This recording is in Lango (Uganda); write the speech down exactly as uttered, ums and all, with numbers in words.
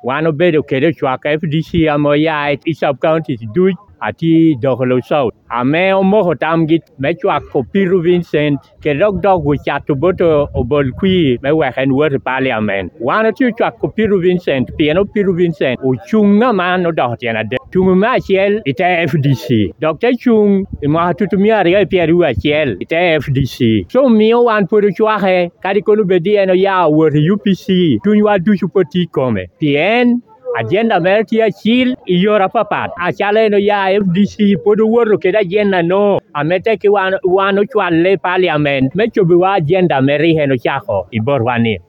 Wan obedo kede ocwak F D C ame oya i sub counties duc, atye i Dokolo South, ame omoko tamgi me cwako Peter Vincent, kede dok dok ocato bot Obol Kwir me wek en wot i parliament. Wan otye ocwako Peter Vincent, pien Peter Vincent ocuŋ aman odoko tyen adek. Cuŋ me acel i te F D C, dok te cuŋ i mwaka tutumia aryo i pyeraryo acel i te F D C. So, omio wan pwod ocwake, kadi kono bed ni en oya owot i U P C, cunywa ducu pwod tye i kome. Pien ajenda mere tye acil i yore apapat. Acalo en oya F D C, pwod owoto kede ajenda-no, ame tekki wan, wan ocwalle i parliament me cobiwa ajenda ame rik en ocako i botwa-ni.